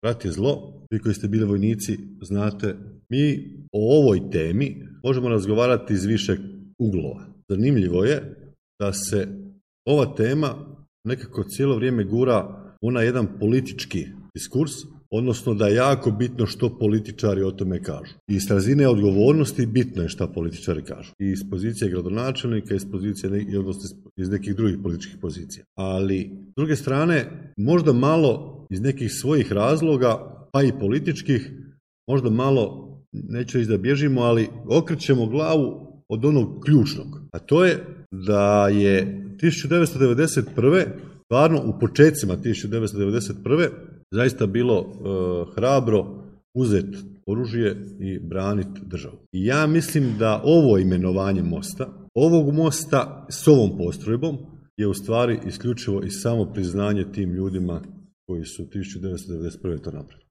rat je zlo, vi koji ste bili vojnici znate, mi o ovoj temi možemo razgovarati iz više uglova. Zanimljivo je da se ova tema nekako cijelo vrijeme gura u onaj jedan politički diskurs, odnosno da je jako bitno što političari o tome kažu. I iz razine odgovornosti bitno je što političari kažu. I iz pozicije gradonačelnika, iz pozicije iz nekih drugih političkih pozicija. Ali, s druge strane, možda malo iz nekih svojih razloga, pa i političkih, možda malo, neću reći da bježimo, ali okrećemo glavu od onog ključnog. A to je da je 1991. stvarno u početcima 1991. zaista bilo hrabro uzeti oružje i braniti državu. I ja mislim da ovo imenovanje ovog mosta s ovom postrojbom je u stvari isključivo i samo priznanje tim ljudima koji su 1991. to napravili.